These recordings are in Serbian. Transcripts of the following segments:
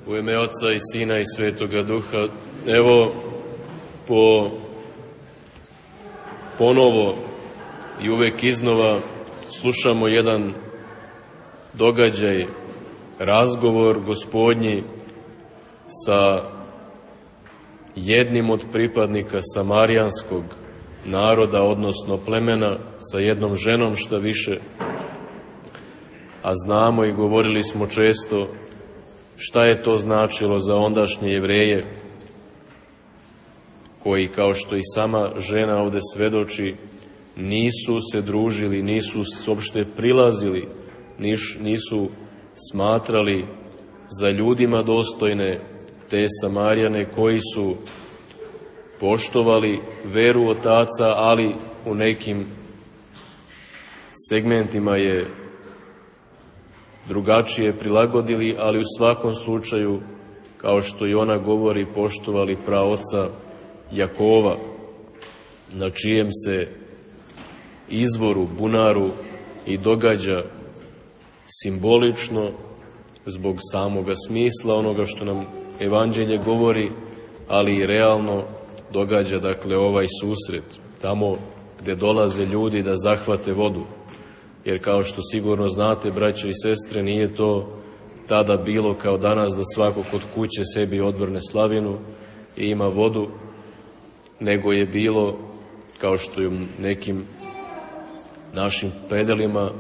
U ime Oca i Sina i Svetoga Duha. Evo, ponovo i uvek iznova slušamo jedan događaj, razgovor Gospodnji sa jednim od pripadnika samarijanskog naroda, odnosno plemena, sa jednom ženom šta više, a znamo i govorili smo često šta je to značilo za ondašnje Jevreje, koji, kao što i sama žena ovde svedoči, nisu se družili, nisu uopšte prilazili, nisu smatrali za ljudima dostojne te Samarijane koji su poštovali veru otaca, ali u nekim segmentima je drugačije prilagodili, ali u svakom slučaju, kao što i ona govori, poštovali praoca Jakova, na čijem se izvoru, bunaru i događa simbolično, zbog samoga smisla onoga što nam Evanđelje govori, ali i realno događa, dakle, ovaj susret, tamo gde dolaze ljudi da zahvate vodu. Jer kao što sigurno znate, braćo i sestre, nije to tada bilo kao danas da svako kod kuće sebi odvrne slavinu i ima vodu, nego je bilo, kao što je u nekim našim predelima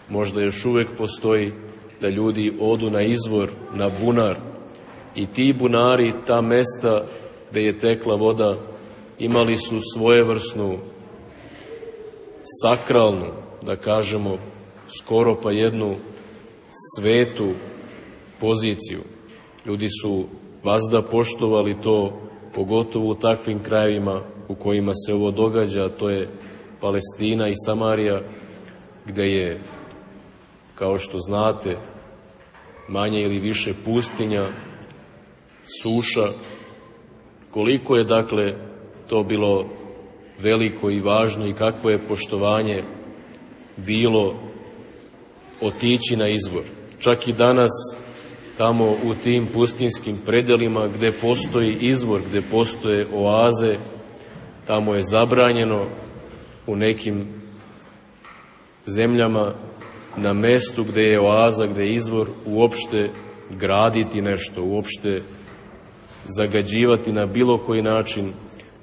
možda još uvek postoji, da ljudi odu na izvor, na bunar, i ti bunari, ta mesta gde je tekla voda, imali su svojevrsnu sakralnu, da kažemo, skoro pa jednu svetu poziciju. Ljudi su vazda poštovali to, pogotovo u takvim krajevima u kojima se ovo događa, a to je Palestina i Samarija, gde je, kao što znate, manje ili više pustinja, suša. Koliko je, dakle, to bilo veliko i važno i kakvo je poštovanje bilo otići na izvor. Čak i danas, tamo u tim pustinskim predelima gde postoji izvor, gde postoje oaze, tamo je zabranjeno u nekim zemljama na mestu gde je oaza, gde je izvor, uopšte graditi nešto, uopšte zagađivati na bilo koji način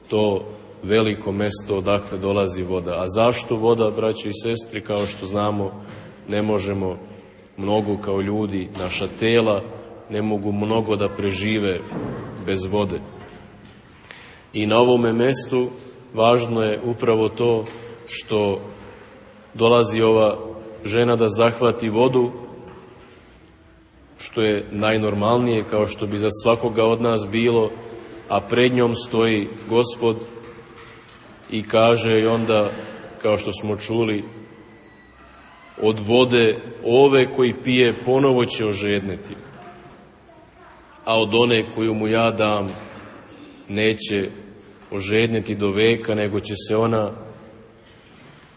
to veliko mesto odakle dolazi voda. A zašto voda, braćo i sestri? Kao što znamo, ne možemo mnogo kao ljudi, naša tela ne mogu mnogo da prežive bez vode. I na ovome mestu važno je upravo to što dolazi ova žena da zahvati vodu, što je najnormalnije, kao što bi za svakoga od nas bilo, a pred njom stoji Gospod i kaže i onda, kao što smo čuli, od vode ove koji pije ponovo će ožedneti, a od one koju mu ja dam neće ožedneti do veka,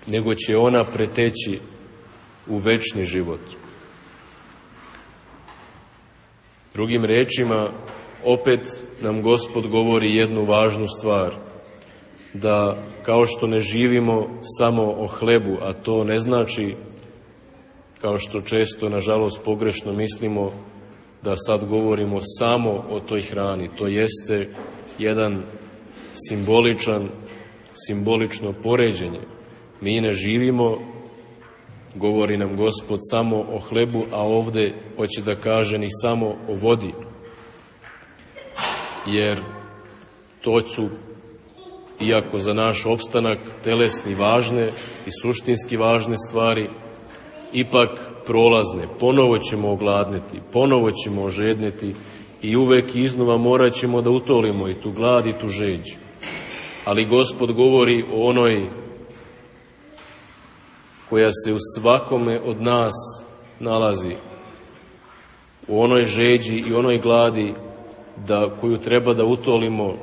nego će ona preteći u večni život. Drugim rečima, opet nam Gospod govori jednu važnu stvar, da kao što ne živimo samo o hlebu, a to ne znači, kao što često, nažalost, pogrešno mislimo, da sad govorimo samo o toj hrani. To jeste jedan simbolično poređenje. Mi ne živimo, govori nam Gospod, samo o hlebu, a ovde hoće da kaže ni samo o vodi. Jer to su, iako za naš opstanak telesni važne i suštinski važne stvari, ipak prolazne. Ponovo ćemo ogladneti, ponovo ćemo ožedneti i uvek iznova morat ćemo da utolimo i tu glad i tu žeđ. Ali Gospod govori o onoj koja se u svakome od nas nalazi, u onoj žeđi i onoj gladi koju treba da utolimo,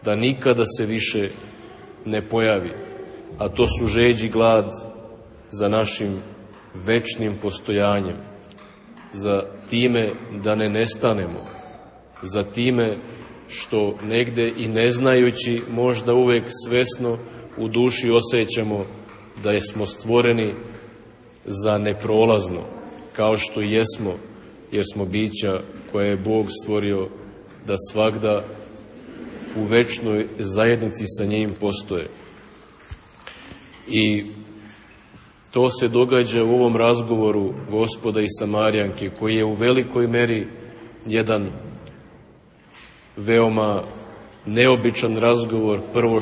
da nikada se više ne pojavi. A to su žeđ i glad za našim večnim postojanjem. za time da ne nestanemo, za time što negde i ne znajući, možda uvek svesno u duši osjećamo da smo stvoreni za neprolazno, kao što i jesmo, jer smo bića koje je Bog stvorio da svagda u večnoj zajednici sa njim postoje. I to se događa u ovom razgovoru Gospoda i Samarijanke, koji je u velikoj meri jedan veoma neobičan razgovor. Prvo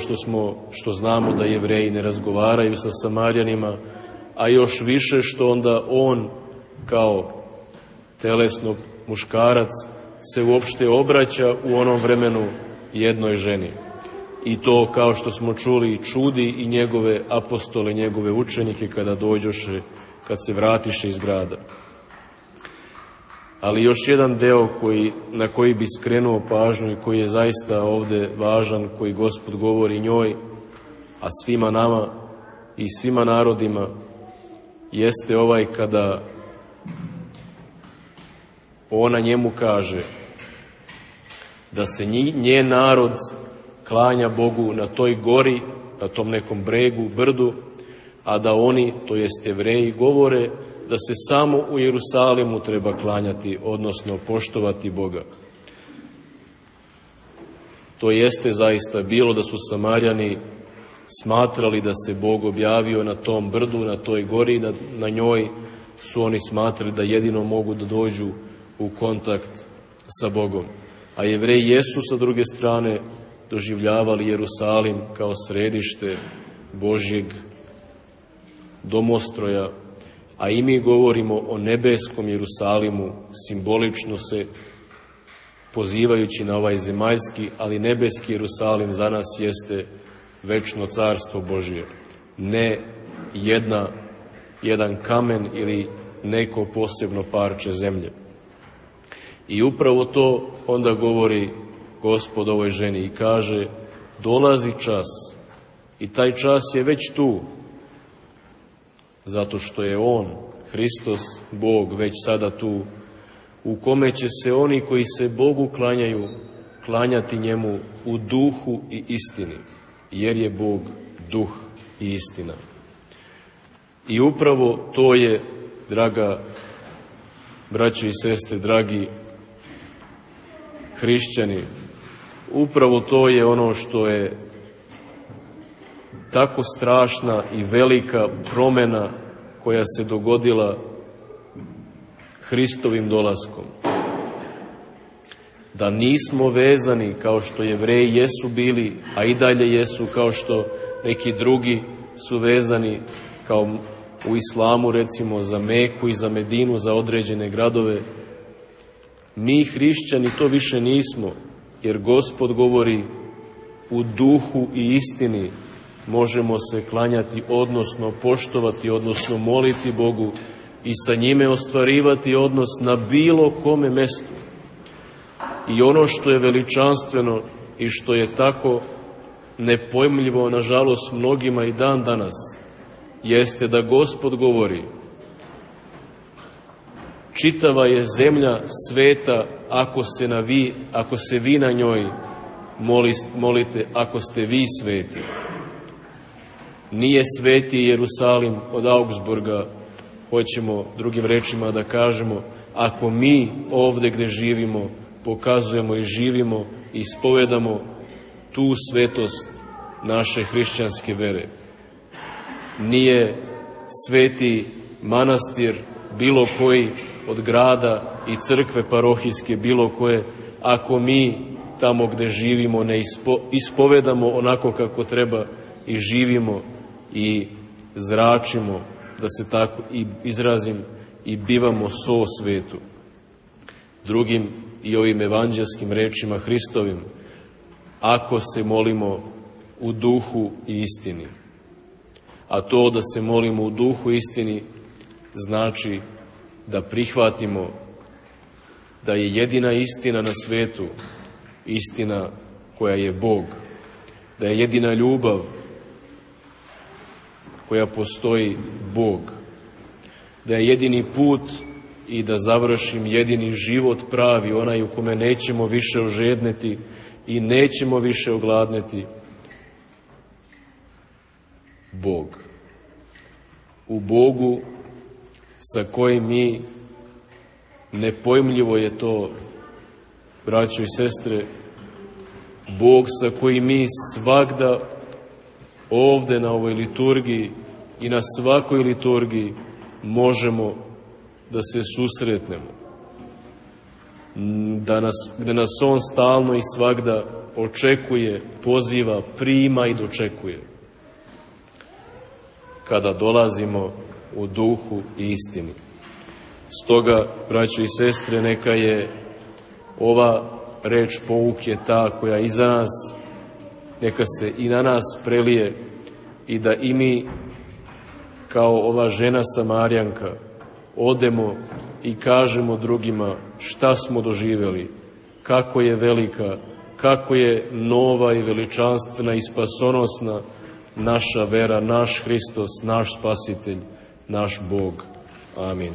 što znamo da Jevreji ne razgovaraju sa Samarijanima, a još više što onda on kao telesno muškarac se uopšte obraća u onom vremenu jednoj ženi. I to, kao što smo čuli, čudi i njegove apostole, njegove učenike kada dođoše, kad se vratiše iz grada. Ali još jedan deo na koji bi skrenuo pažnju i koji je zaista ovde važan, koji Gospod govori njoj, a svima nama i svima narodima, jeste ovaj kada ona njemu kaže da se njen narod klanja Bogu na toj gori, na tom nekom bregu, brdu, a da oni, to jest Jevreji, govore da se samo u Jerusalimu treba klanjati, odnosno poštovati Boga. To jeste zaista bilo da su Samarijani smatrali da se Bog objavio na tom brdu, na toj gori, na njoj su oni smatrali da jedino mogu da dođu u kontakt sa Bogom. A Jevreji jesu sa druge strane doživljavali Jerusalim kao središte Božjeg domostroja, a i mi govorimo o nebeskom Jerusalimu, simbolično se pozivajući na ovaj zemaljski, ali nebeski Jerusalim za nas jeste večno carstvo Božje, ne jedan kamen ili neko posebno parče zemlje. I upravo to onda govori Gospod ovoj ženi i kaže: dolazi čas, i taj čas je već tu, zato što je On, Hristos, Bog, već sada tu, u kome će se oni koji se Bogu klanjaju, klanjati njemu u duhu i istini, jer je Bog duh i istina. I upravo to je, draga braćo i sestre, dragi hrišćani, upravo to je ono što je tako strašna i velika promena koja se dogodila Hristovim dolaskom. Da nismo vezani kao što Jevreji jesu bili, a i dalje jesu, kao što neki drugi su vezani, kao u islamu recimo za Meku i za Medinu, za određene gradove. Mi hrišćani to više nismo, jer Gospod govori: u duhu i istini možemo se klanjati, odnosno poštovati, odnosno moliti Bogu i sa njime ostvarivati odnos na bilo kome mestu. I ono što je veličanstveno i što je tako nepojmljivo, nažalost, mnogima i dan danas, jeste da Gospod govori: čitava je zemlja sveta ako se vi na njoj molite, ako ste vi sveti. Nije sveti Jerusalim od Augsburga, hoćemo drugim rečima da kažemo, ako mi ovde gde živimo pokazujemo i živimo i ispovedamo tu svetost naše hrišćanske vere. Nije sveti manastir bilo koji od grada i crkve parohijske bilo koje, ako mi tamo gde živimo ne ispovedamo onako kako treba i živimo i zračimo, da se tako i izrazim, i bivamo so svetu. Drugim i ovim evanđelskim rečima Hristovim, ako se molimo u duhu i istini. A to da se molimo u duhu i istini znači da prihvatimo da je jedina istina na svetu istina koja je Bog, da je jedina ljubav koja postoji Bog, da je jedini put i da završim jedini život pravi, onaj u kome nećemo više ožedneti i nećemo više ogladneti. Bog. U Bogu sa kojim mi, nepojmljivo je to, braćo i sestre, Bog sa kojim mi svagda ovde na ovoj liturgiji i na svakoj liturgiji možemo da se susretnemo. Gde nas On stalno i svagda očekuje, poziva, prima i dočekuje. Kada dolazimo u duhu i istini. Stoga, braćo i sestre, neka je ova reč pouke ta koja iza nas, neka se i na nas prelije i da i mi, kao ova žena Samarijanka, odemo i kažemo drugima šta smo doživeli, kako je velika, kako je nova i veličanstvena i spasonosna naša vera, naš Hristos, naš Spasitelj, naš Bog. Amin.